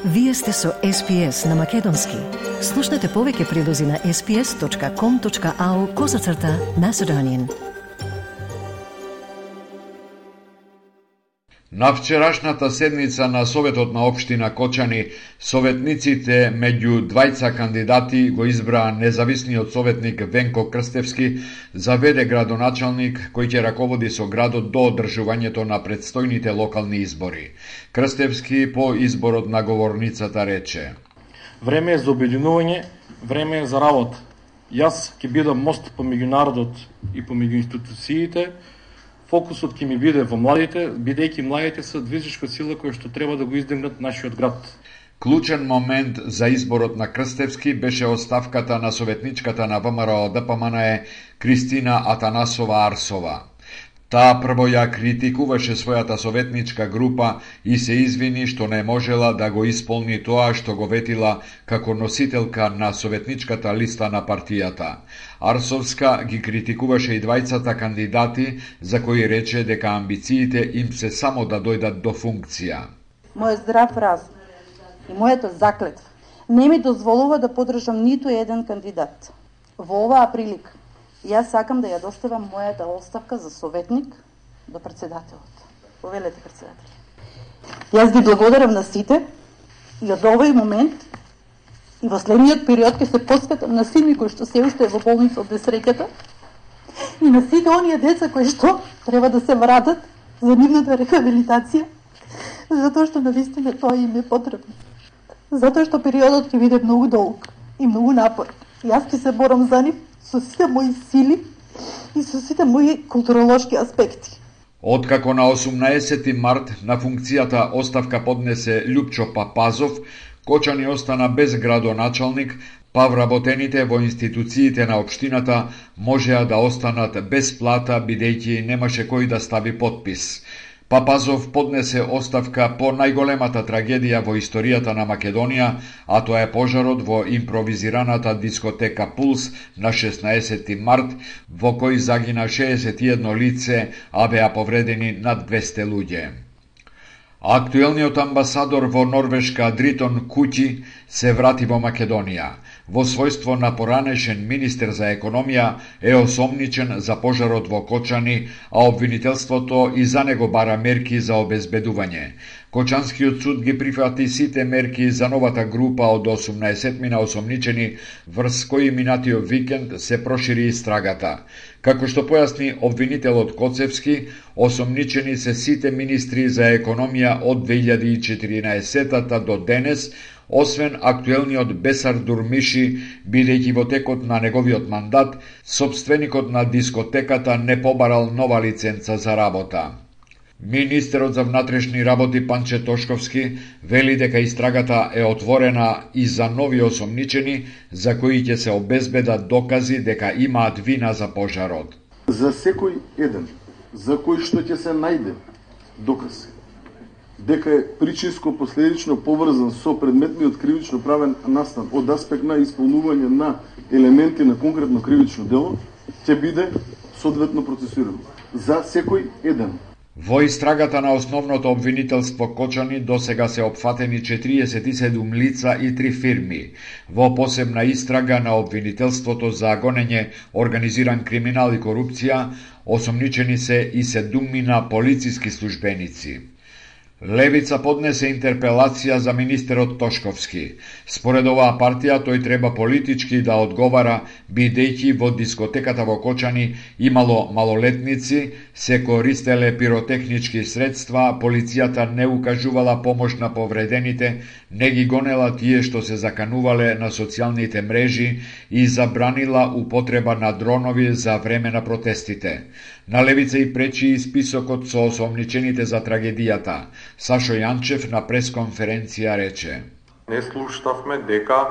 Вие сте со SPS на Македонски. Слушнете повеќе прилози на sps.com.au/Macedonian. На вчерашната седница на Советот на општина Кочани, советниците меѓу двајца кандидати го избраа независниот советник Венко Крстевски за веде градоначалник кој ќе раководи со градот до одржувањето на предстојните локални избори. Крстевски по изборот на говорницата рече: Време е за обединување, време е за работа. Јас ќе бидам мост помеѓу народот и помеѓу институциите. Фокусот ќе ми биде во младите, бидејќи младите се движечка сила која што треба да го издигнат нашиот град. Клучен момент за изборот на Крстевски беше оставката на советничката на ВМРО ДПМНЕ Кристина Атанасова Арсова. Таа прво ја критикуваше својата советничка група и се извини што не можела да го исполни тоа што го ветила како носителка на советничката листа на партијата. Арсовска ги критикуваше и двајцата кандидати, за кои рече дека амбициите им се само да дојдат до функција. Мојот здрав разум и мојата заклетва не ми дозволува да поддржам ниту еден кандидат. Во оваа прилика јас сакам да ја доставам мојата оставка за советник до председателот. Повелете, председател. Јас ги благодарам на сите и од овој момент и во следниот период ќе се посветам на сите кои што се уште е во болница од несреќата и на сите оние деца кои што треба да се вратат за нивната рехабилитација, затоа што навистина тоа им е потребно. Затоа што периодот ќе биде многу долг и многу напорен. Јас ќе се борам за нив со сите мои сили и со сите мои културолошки аспекти. Откако на 18 март на функцијата оставка поднесе Љупчо Папазов, Кочани остана без градоначалник, па вработените во институциите на општината можеа да останат без плата бидејќи немаше кој да стави подпис. Папазов поднесе оставка по најголемата трагедија во историјата на Македонија, а тоа е пожарот во импровизираната дискотека Пулс на 16 март, во кој загина 61 лице, а беа повредени над 200 луѓе. Актуелниот амбасадор во Норвешка Дритон Куќи се врати во Македонија. Во својство на поранешен министер за економија е осомничен за пожарот во Кочани, а обвинителството и за него бара мерки за обезбедување. Кочанскиот суд ги прифати сите мерки за новата група од 18 мина осомничени, врз кои минатиот викенд се прошири истрагата. Како што појасни обвинителот Коцевски, осомничени се сите министри за економија од 2014 до денес, освен актуелниот Бесар Дурмиши, бидејќи во текот на неговиот мандат, сопственикот на дискотеката не побарал нова лиценца за работа. Министерот за внатрешни работи Панче Тошковски вели дека истрагата е отворена и за нови осомничени, за кои ќе се обезбедат докази дека имаат вина за пожарот. За секој еден, за кој што ќе се најде доказ дека е причинско последично поврзан со предметниот кривично правен настан од аспект на исполнување на елементи на конкретно кривично дело, ќе биде соодветно процесиран. За секој еден. Во истрагата на основното обвинителство Кочани досега се опфатени 47 лица и 3 фирми. Во посебна истрага на обвинителството за гонење, организиран криминал и корупција, осомничени се и 7 полициски службеници. Левица поднесе интерпелација за министерот Тошковски. Според оваа партија, тој треба политички да одговара, бидејќи во дискотеката во Кочани имало малолетници, се користеле пиротехнички средства, полицијата не укажувала помош на повредените, не ги гонела тие што се заканувале на социјалните мрежи и забранила употреба на дронови за време на протестите. На левица и пречи и списокот со осомничените за трагедијата. Сашо Јанчев на пресконференција рече: Не слушнавме дека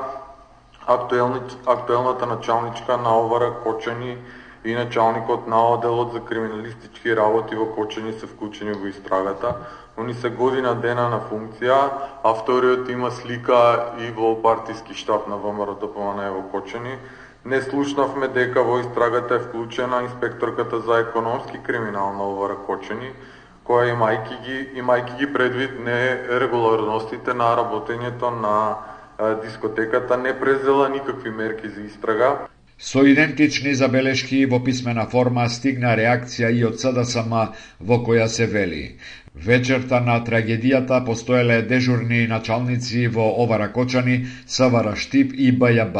актуелната началничка на ОВР Кочани и началникот на одделот за криминалистички работи во Кочани се вклучени во истрагата. Они се година дена на функција, а вториот има слика и во партиски штаб на ВМРО ДПМНЕ во Кочани. Не слушнавме дека во истрагата е вклучена инспекторката за економски криминал на ОВР Кочани, која имајќи ги предвид нерегуларностите на работењето на дискотеката, не презела никакви мерки за истрага. Со идентични забелешки во писмена форма стигна реакција и од СДСМ во која се вели: вечерта на трагедијата постоеле дежурни началници во Овара Кочани, СВР Штип и БЈБ.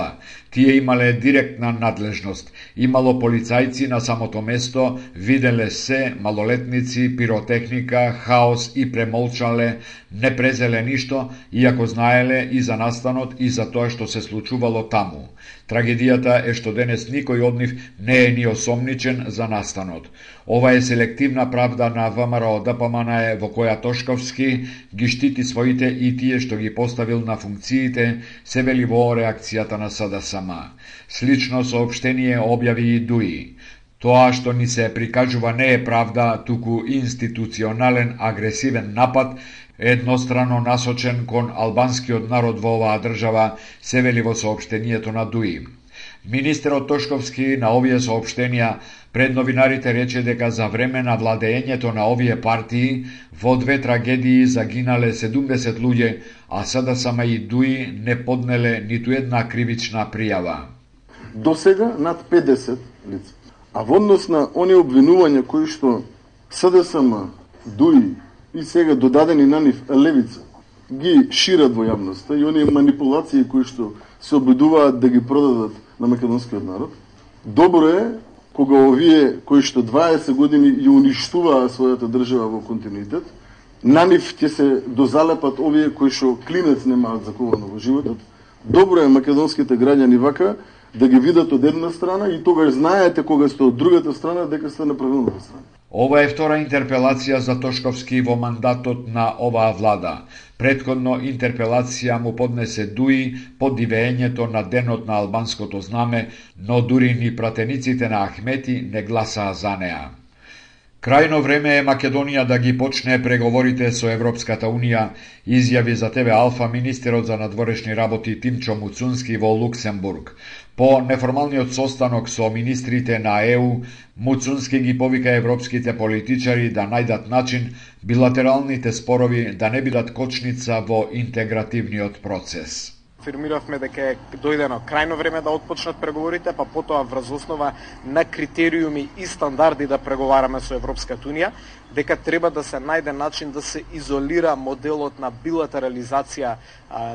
Тие имале директна надлежност. Имало полицајци на самото место, виделе се малолетници, пиротехника, хаос и премолчале, не презеле ништо, иако знаеле и за настанот и за тоа што се случувало таму. Трагедијата е што денес никој од нив не е ни осомничен за настанот. Ова е селективна правда на ВМРО ДПМН во која Тошковски ги штити своите и тие што ги поставил на функциите, се вели во реакцијата на СДСМ. Слично соопштение објави и ДУИ. Тоа што ни се прикажува не е правда, туку институционален агресивен напад, еднострано насочен кон албанскиот народ во оваа држава, се вели во соопштението на ДУИ. Министерот Тошковски на овие соопштенија пред новинарите рече дека за време на владеењето на овие партии во две трагедии загинале 70 луѓе, а СДСМ и ДУИ не поднеле ниту една кривична пријава. До сега над 50 лица. А во однос на оние обвинувања кои што СДСМ, ДУИ и сега додадени на нив левица ги шират во јавноста и оние манипулации кои што се обидуваат да ги продадат на македонскиот народ, добро е кога овие кои што 20 години ја уништуваа својата држава во континуитет, на нив ќе се дозалепат овие кои што клинец немаат заковано во животот. Добро е македонските граѓани вака да ги видат од една страна и тогаш знаете кога сте од другата страна дека сте на правилната страна. Ова е втора интерпелација за Тошковски во мандатот на оваа влада. Претходно интерпелација му поднесе ДУИ под дивеењето на денот на албанското знаме, но дури ни пратениците на Ахмети не гласаа за неа. Крајно време е Македонија да ги почне преговорите со Европската Унија, изјави за ТВ Алфа министерот за надворешни работи Тимчо Муцунски во Луксембург. По неформалниот состанок со министрите на ЕУ, Муцунски ги повика европските политичари да најдат начин билатералните спорови да не бидат кочница во интегративниот процес. Афирмиравме дека е дојдено крајно време да отпочнат преговорите, па потоа врз основа на критериуми и стандарди да преговараме со Европската Унија, дека треба да се најде начин да се изолира моделот на билатерализација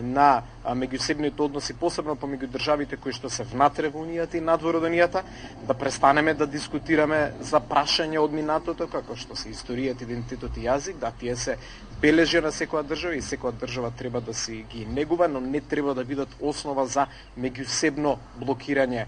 на меѓусебните односи, посебно помеѓу државите кои што се внатре во Унијата и надвор од Унијата, да престанеме да дискутираме за прашања од минатото, како што се историјата, идентитет и јазик, да тие се бележи на секоја држава и секоја држава треба да си ги негува, но не треба да бидат основа за меѓусебно блокирање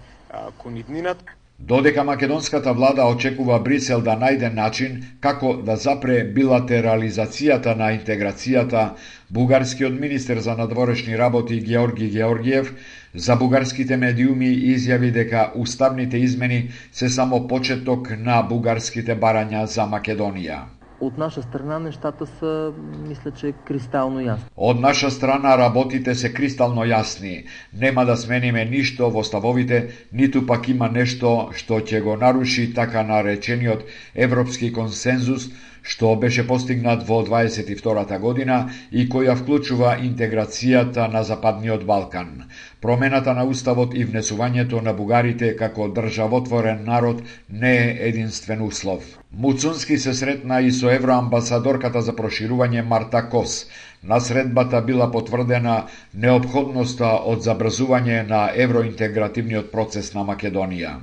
кон иднината. Додека македонската влада очекува Брисел да најде начин како да запре билатерализацијата на интеграцијата, бугарскиот министер за надворешни работи Георги Георгиев за бугарските медиуми изјави дека уставните измени се само почеток на бугарските барања за Македонија. От наша страна нещата са, мисля, че кристално јасни. Од наша страна работите се кристално јасни. Нема да смениме ништо во ставовите, ниту пак има нешто што ќе го наруши така наречениот европски консензус што беше постигнат во 22-та година и која вклучува интеграцијата на Западниот Балкан. Промената на уставот и внесувањето на бугарите како државотворен народ не е единствен услов. Муцунски се сретна и со евроамбасадорката за проширување Марта Кос. На средбата била потврдена неопходноста од забрзување на евроинтегративниот процес на Македонија.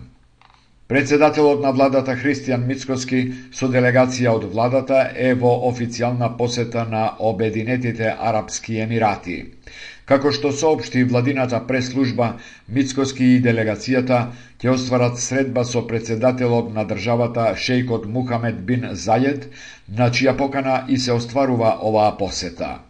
Председателот на владата Христијан Мицкоски со делегација од владата е во официјална посета на Обединетите Арапски Емирати. Како што соопшти владината прес-служба, Мицкоски и делегацијата ќе остварат средба со председателот на државата шејкот Мухамед бин Зајед, на чија покана и се остварува оваа посета.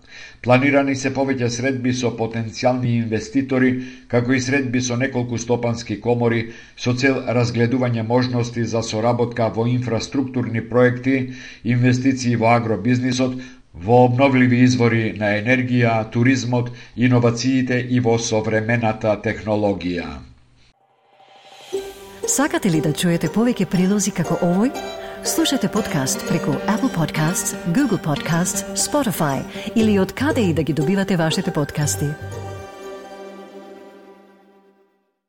Планирани се повеќе средби со потенцијални инвеститори, како и средби со неколку стопански комори, со цел разгледување можности за соработка во инфраструктурни проекти, инвестиции во агробизнисот, во обновливи извори на енергија, туризмот, иновациите и во современата технологија. Сакате ли да чуете повеќе прилози како овој? Слушате подкаст преку Apple Podcasts, Google Podcasts, Spotify или од каде и да ги добивате вашите подкасти.